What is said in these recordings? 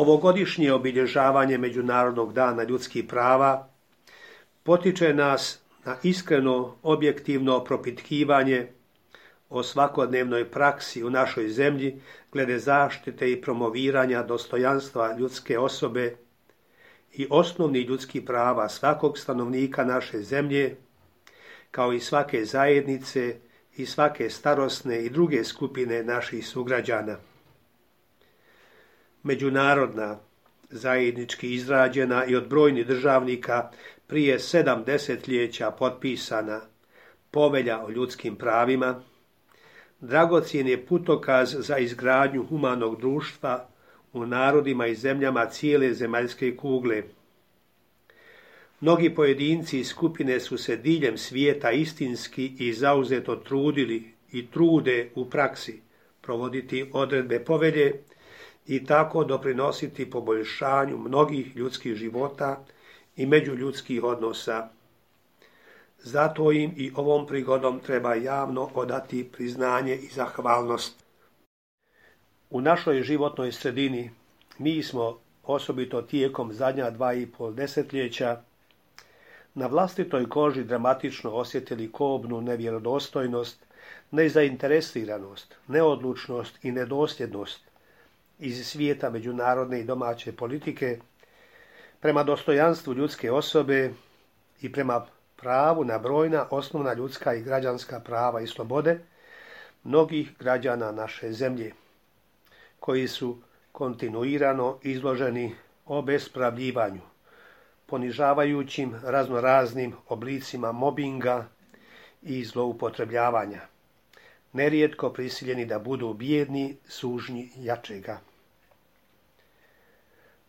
Ovogodišnje obilježavanje Međunarodnog dana ljudskih prava potiče nas na iskreno, objektivno propitkivanje o svakodnevnoj praksi u našoj zemlji glede zaštite i promoviranja dostojanstva ljudske osobe i osnovnih ljudskih prava svakog stanovnika naše zemlje, kao i svake zajednice i svake starosne i druge skupine naših sugrađana. Međunarodna, zajednički izrađena i od brojnih državnika prije 7 desetljeća potpisana Povelja o ljudskim pravima, dragocjen je putokaz za izgradnju humanog društva u narodima i zemljama cijele zemaljske kugle. Mnogi pojedinci i skupine su se diljem svijeta istinski i zauzeto trudili i trude u praksi provoditi odredbe povelje i tako doprinositi poboljšanju mnogih ljudskih života i međuljudskih odnosa. Zato im i ovom prigodom treba javno odati priznanje i zahvalnost. U našoj životnoj sredini mi smo, osobito tijekom zadnja 2,5 desetljeća, na vlastitoj koži dramatično osjetili kobnu nevjerodostojnost, nezainteresiranost, neodlučnost i nedosljednost iz svijeta međunarodne i domaće politike prema dostojanstvu ljudske osobe i prema pravu na brojna osnovna ljudska i građanska prava i slobode mnogih građana naše zemlje, koji su kontinuirano izloženi obespravljivanju, ponižavajućim raznoraznim oblicima mobinga i zloupotrebljavanja, nerijetko prisiljeni da budu bijedni sužnji jačega.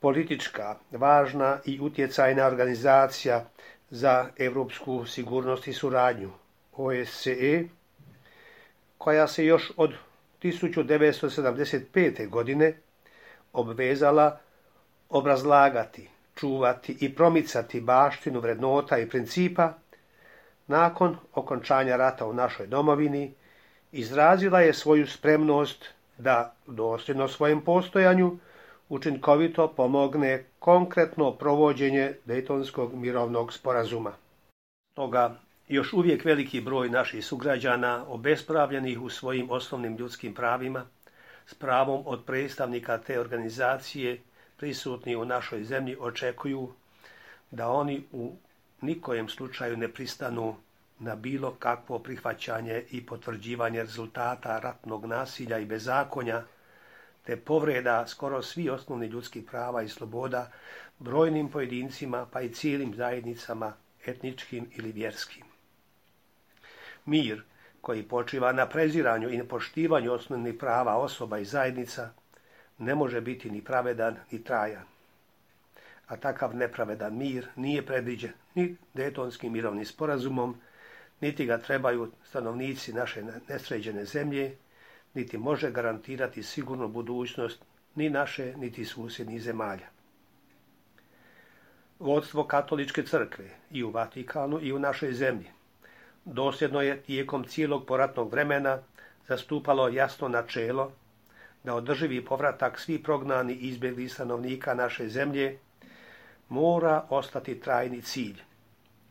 Politička, važna i utjecajna organizacija za europsku sigurnost i suradnju, OSCE, koja se još od 1975. godine obvezala obrazlagati, čuvati i promicati baštinu vrednota i principa, nakon okončanja rata u našoj domovini, izrazila je svoju spremnost da dosljedno svojem postojanju učinkovito pomogne konkretno provođenje Dejtonskog mirovnog sporazuma. Toga još uvijek veliki broj naših sugrađana obespravljenih u svojim osnovnim ljudskim pravima, s pravom od predstavnika te organizacije prisutni u našoj zemlji očekuju da oni u nikojem slučaju ne pristanu na bilo kakvo prihvaćanje i potvrđivanje rezultata ratnog nasilja i bezakonja, te povreda skoro svih osnovnih ljudskih prava i sloboda brojnim pojedincima pa i cijelim zajednicama etničkim ili vjerskim. Mir koji počiva na preziranju i nepoštivanju osnovnih prava osoba i zajednica ne može biti ni pravedan ni trajan. A takav nepravedan mir nije predviđen ni Dejtonskim mirovnim sporazumom, niti ga trebaju stanovnici naše nesređene zemlje, niti može garantirati sigurnu budućnost ni naše, niti susjednih zemalja. Vodstvo Katoličke crkve i u Vatikanu i u našoj zemlji dosljedno je tijekom cijelog poratnog vremena zastupalo jasno načelo da održivi povratak svih prognanih i izbjeglih stanovnika naše zemlje mora ostati trajni cilj,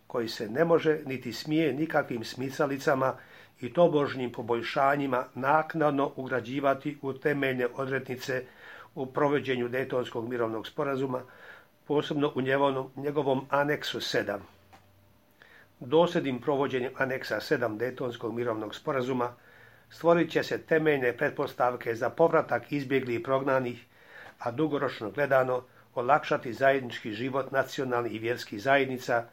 koji se ne može niti smije nikakvim smicalicama i tobožnjim poboljšanjima naknadno ugrađivati u temeljne odrednice u provođenju Dejtonskog mirovnog sporazuma, posebno u njegovom aneksu 7. Dosljednim provođenjem aneksa 7 Dejtonskog mirovnog sporazuma stvorit će se temeljne pretpostavke za povratak izbjeglih i prognanih, a dugoročno gledano olakšati zajednički život nacionalnih i vjerskih zajednica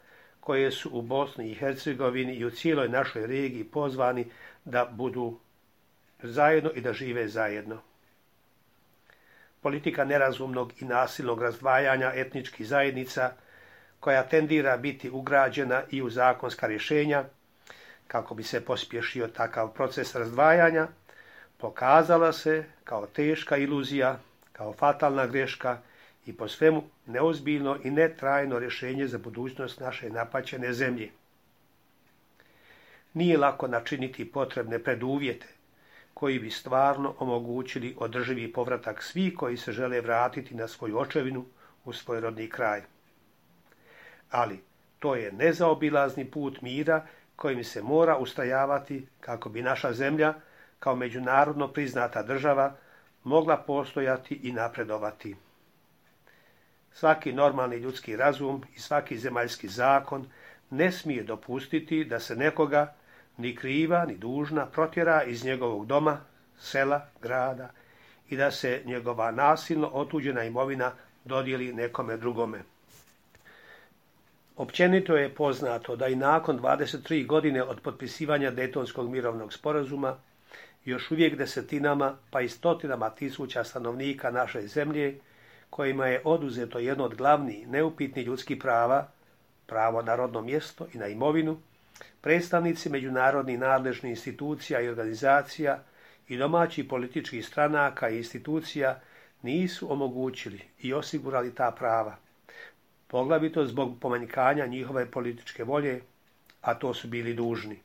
koje su u Bosni i Hercegovini i u cijeloj našoj regiji pozvani da budu zajedno i da žive zajedno. Politika nerazumnog i nasilnog razdvajanja etničkih zajednica, koja tendira biti ugrađena i u zakonska rješenja, kako bi se pospješio takav proces razdvajanja, pokazala se kao teška iluzija, kao fatalna greška i po svemu neozbiljno i netrajno rješenje za budućnost naše napaćene zemlje. Nije lako načiniti potrebne preduvjete koji bi stvarno omogućili održivi povratak svih koji se žele vratiti na svoju očevinu, u svoj rodni kraj. Ali to je nezaobilazni put mira kojim se mora ustrajavati kako bi naša zemlja, kao međunarodno priznata država, mogla postojati i napredovati. Svaki normalni ljudski razum i svaki zemaljski zakon ne smije dopustiti da se nekoga, ni kriva, ni dužna, protjera iz njegovog doma, sela, grada i da se njegova nasilno otuđena imovina dodijeli nekome drugome. Općenito je poznato da i nakon 23 godine od potpisivanja Dejtonskog mirovnog sporazuma još uvijek desetinama pa i stotinama tisuća stanovnika naše zemlje, kojima je oduzeto jedno od glavnih neupitnih ljudskih prava, pravo na rodno mjesto i na imovinu, predstavnici međunarodnih nadležnih institucija i organizacija i domaćih političkih stranaka i institucija nisu omogućili i osigurali ta prava, poglavito zbog pomanjkanja njihove političke volje, a to su bili dužni.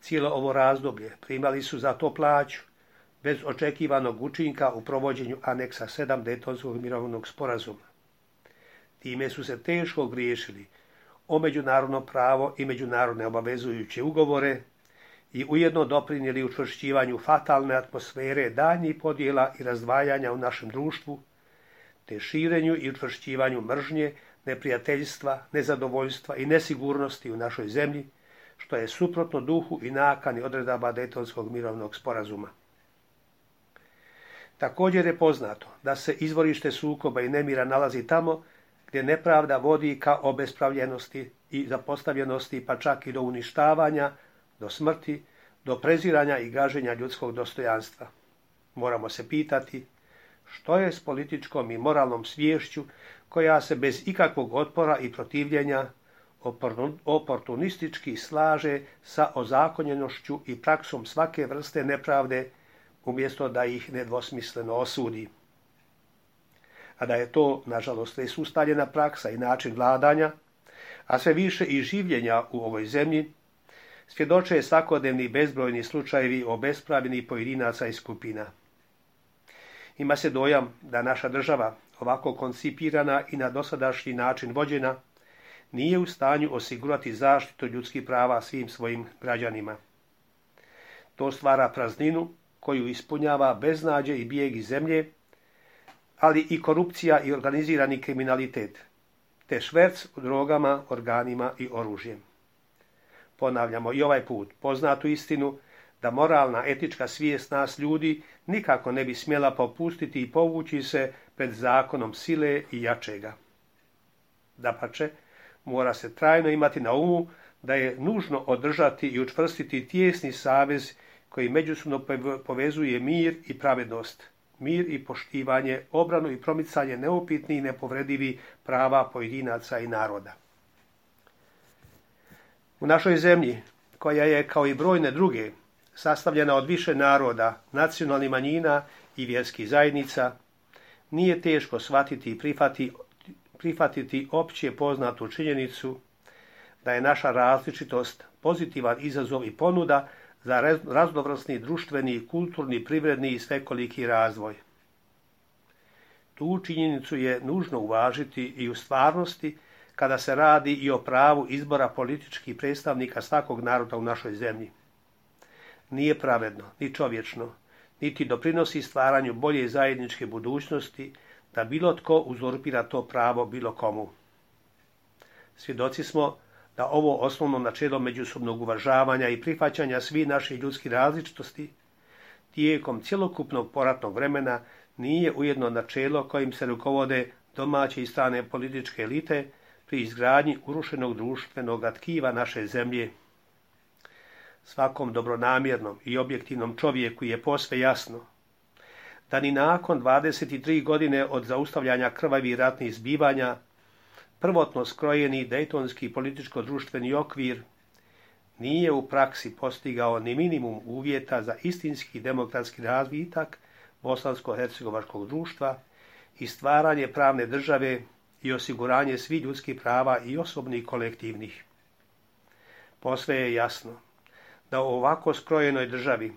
Cijelo ovo razdoblje primali su za to plaću, bez očekivanog učinka u provođenju aneksa 7 Dejtonskog mirovnog sporazuma. Time su se teško griješili o međunarodno pravo i međunarodne obavezujuće ugovore i ujedno doprinijeli učvršćivanju fatalne atmosfere daljnjih podjela i razdvajanja u našem društvu, te širenju i učvršćivanju mržnje, neprijateljstva, nezadovoljstva i nesigurnosti u našoj zemlji, što je suprotno duhu i nakani odredaba Dejtonskog mirovnog sporazuma. Također je poznato da se izvorište sukoba i nemira nalazi tamo gdje nepravda vodi ka obespravljenosti i zapostavljenosti, pa čak i do uništavanja, do smrti, do preziranja i gaženja ljudskog dostojanstva. Moramo se pitati što je s političkom i moralnom sviješću koja se bez ikakvog otpora i protivljenja oportunistički slaže sa ozakonjenošću i praksom svake vrste nepravde, umjesto da ih nedvosmisleno osudi. A da je to, nažalost, već ustaljena praksa i način vladanja, a sve više i življenja u ovoj zemlji, svjedoče svakodnevni bezbrojni slučajevi obespravljenih pojedinaca i skupina. Ima se dojam da naša država, ovako koncipirana i na dosadašnji način vođena, nije u stanju osigurati zaštitu ljudskih prava svim svojim građanima. To stvara prazninu koju ispunjava beznađe i bijeg iz zemlje, ali i korupcija i organizirani kriminalitet, te šverc drogama, organima i oružjem. Ponavljamo i ovaj put poznatu istinu da moralna etička svijest nas ljudi nikako ne bi smjela popustiti i povući se pred zakonom sile i jačega. Dapače, mora se trajno imati na umu da je nužno održati i učvrstiti tijesni savez koji međusobno povezuje mir i pravednost, mir i poštivanje, obranu i promicanje neupitnih i nepovredivih prava pojedinaca i naroda. U našoj zemlji, koja je kao i brojne druge sastavljena od više naroda, nacionalnih manjina i vjerskih zajednica, nije teško shvatiti i prihvatiti opće poznatu činjenicu da je naša različitost pozitivan izazov i ponuda za raznovrsni društveni, kulturni, privredni i svekoliki razvoj. Tu činjenicu je nužno uvažiti i u stvarnosti kada se radi i o pravu izbora političkih predstavnika svakog naroda u našoj zemlji. Nije pravedno, ni čovječno, niti doprinosi stvaranju bolje zajedničke budućnosti da bilo tko uzurpira to pravo bilo komu. Svjedoci smo da ovo osnovno načelo međusobnog uvažavanja i prihvaćanja svih naših ljudskih različitosti tijekom cjelokupnog poratnog vremena nije ujedno načelo kojim se rukovode domaće i strane političke elite pri izgradnji urušenog društvenog tkiva naše zemlje. Svakom dobronamjernom i objektivnom čovjeku je posve jasno da ni nakon 23 godine od zaustavljanja krvavih ratnih zbivanja prvotno skrojeni dejtonski političko-društveni okvir nije u praksi postigao ni minimum uvjeta za istinski demokratski razvitak bosansko-hercegovačkog društva i stvaranje pravne države i osiguranje svih ljudskih prava i osobnih i kolektivnih. Posve je jasno da u ovako skrojenoj državi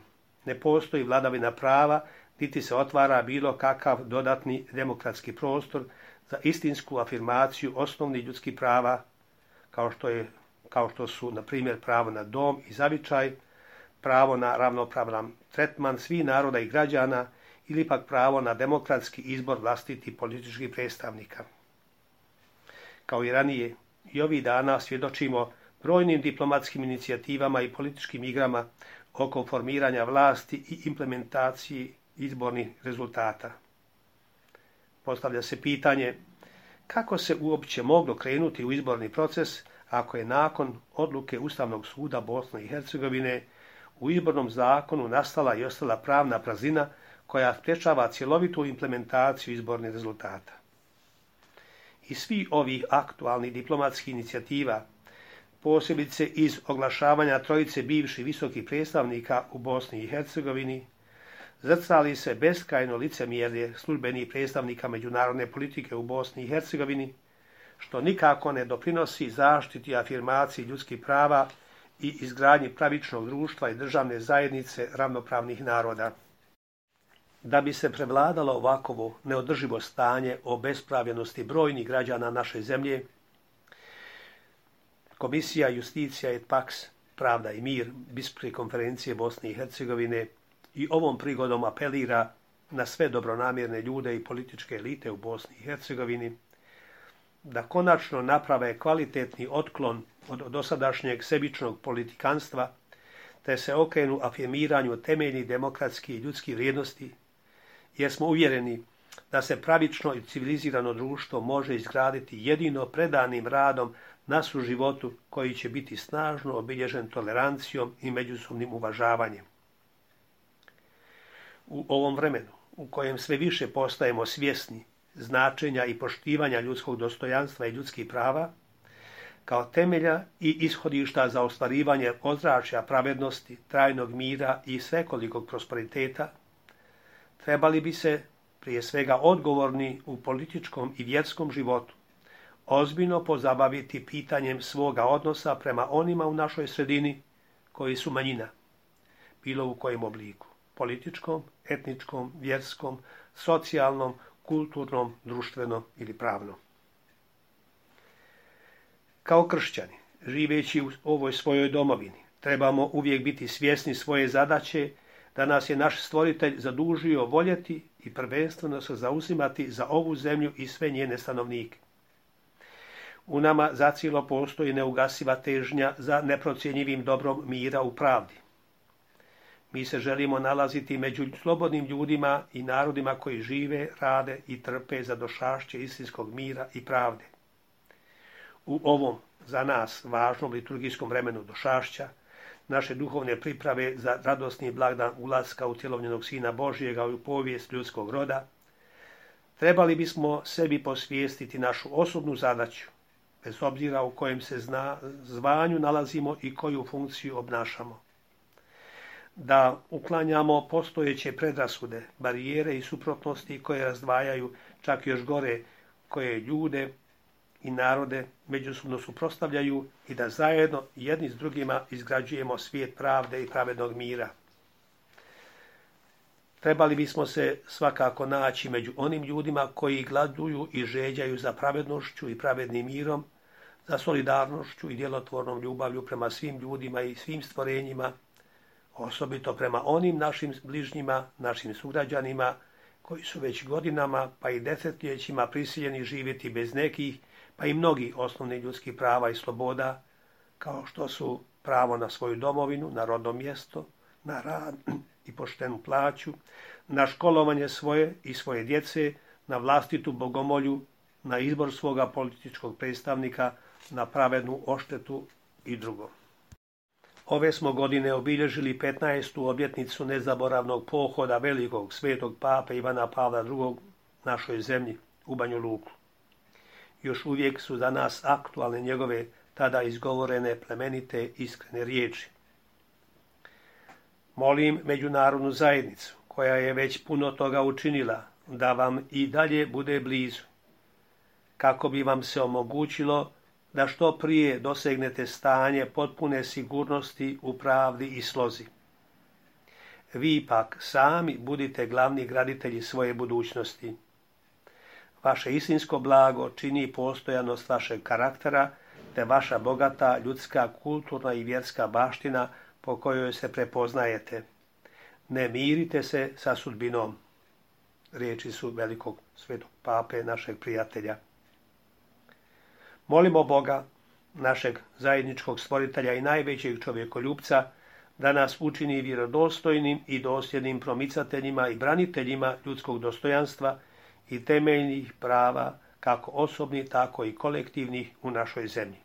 Ne postoji vladavina prava, niti se otvara bilo kakav dodatni demokratski prostor za istinsku afirmaciju osnovnih ljudskih prava, kao što su, na primjer, pravo na dom i zavičaj, pravo na ravnopravan tretman svih naroda i građana ili pak pravo na demokratski izbor vlastitih političkih predstavnika. Kao i ranije, i ovih dana svjedočimo brojnim diplomatskim inicijativama i političkim igrama oko formiranja vlasti i implementaciji izbornih rezultata. Postavlja se pitanje kako se uopće moglo krenuti u izborni proces ako je nakon odluke Ustavnog suda Bosne i Hercegovine u izbornom zakonu nastala i ostala pravna praznina koja sprječava cjelovitu implementaciju izbornih rezultata. Iz svih ovih aktualnih diplomatskih inicijativa, posebice iz oglašavanja trojice bivših visokih predstavnika u Bosni i Hercegovini, zrcali se beskrajno licemjerje službenih predstavnika međunarodne politike u Bosni i Hercegovini, što nikako ne doprinosi zaštiti i afirmaciji ljudskih prava i izgradnji pravičnog društva i državne zajednice ravnopravnih naroda. Da bi se prevladalo ovakovo neodrživo stanje obespravljenosti brojnih građana naše zemlje, Komisija Justicija et Pax, Pravda i mir, Biskupske konferencije Bosne i Hercegovine i ovom prigodom apelira na sve dobronamjerne ljude i političke elite u Bosni i Hercegovini da konačno naprave kvalitetni otklon od dosadašnjeg sebičnog politikanstva te se okrenu afirmiranju temeljnih demokratskih i ljudskih vrijednosti, jer smo uvjereni da se pravično i civilizirano društvo može izgraditi jedino predanim radom na suživotu koji će biti snažno obilježen tolerancijom i međusobnim uvažavanjem. U ovom vremenu, u kojem sve više postajemo svjesni značenja i poštivanja ljudskog dostojanstva i ljudskih prava, kao temelja i ishodišta za ostvarivanje ozračja pravednosti, trajnog mira i svekolikog prosperiteta, trebali bi se, prije svega odgovorni u političkom i vjerskom životu, ozbiljno pozabaviti pitanjem svoga odnosa prema onima u našoj sredini koji su manjina, bilo u kojem obliku, političkom, etničkom, vjerskom, socijalnom, kulturnom, društvenom ili pravnom. Kao kršćani, živeći u ovoj svojoj domovini, trebamo uvijek biti svjesni svoje zadaće da nas je naš stvoritelj zadužio voljeti i prvenstveno se zauzimati za ovu zemlju i sve njene stanovnike. U nama zacijelo postoji neugasiva težnja za neprocjenjivim dobrom mira u pravdi. Mi se želimo nalaziti među slobodnim ljudima i narodima koji žive, rade i trpe za došašće istinskog mira i pravde. U ovom, za nas, važnom liturgijskom vremenu došašća, naše duhovne priprave za radosni blagdan ulaska utjelovljenog Sina Božjega u povijest ljudskog roda, trebali bismo sebi posvijestiti našu osobnu zadaću, bez obzira u kojem se zvanju nalazimo i koju funkciju obnašamo. Da uklanjamo postojeće predrasude, barijere i suprotnosti koje razdvajaju, čak još gore, koje ljude i narode međusobno suprotstavljaju i da zajedno jedni s drugima izgrađujemo svijet pravde i pravednog mira. Trebali bismo se svakako naći među onim ljudima koji gladuju i žeđaju za pravednošću i pravednim mirom, za solidarnošću i djelotvornom ljubavlju prema svim ljudima i svim stvorenjima, osobito prema onim našim bližnjima, našim sugrađanima, koji su već godinama pa i desetljećima prisiljeni živjeti bez nekih, pa i mnogih osnovnih ljudskih prava i sloboda, kao što su pravo na svoju domovinu, na rodno mjesto, na rad i poštenu plaću, na školovanje svoje i svoje djece, na vlastitu bogomolju, na izbor svoga političkog predstavnika, na pravednu odštetu i drugo. Ove smo godine obilježili 15. obljetnicu nezaboravnog pohoda velikog svetog pape Ivana Pavla II. Našoj zemlji, u Banju Luku. Još uvijek su za nas aktualne njegove tada izgovorene plemenite iskrene riječi. Molim međunarodnu zajednicu, koja je već puno toga učinila, da vam i dalje bude blizu, kako bi vam se omogućilo da što prije dosegnete stanje potpune sigurnosti u pravdi i slozi. Vi pak sami budite glavni graditelji svoje budućnosti. Vaše istinsko blago čini postojanost vašeg karaktera, te vaša bogata ljudska, kulturna i vjerska baština po kojoj se prepoznajete. Ne mirite se sa sudbinom. Riječi su velikog svetog pape, našeg prijatelja. Molimo Boga, našeg zajedničkog stvoritelja i najvećeg čovjekoljupca, da nas učini vjerodostojnim i dosljednim promicateljima i braniteljima ljudskog dostojanstva i temeljnih prava, kako osobnih, tako i kolektivnih u našoj zemlji.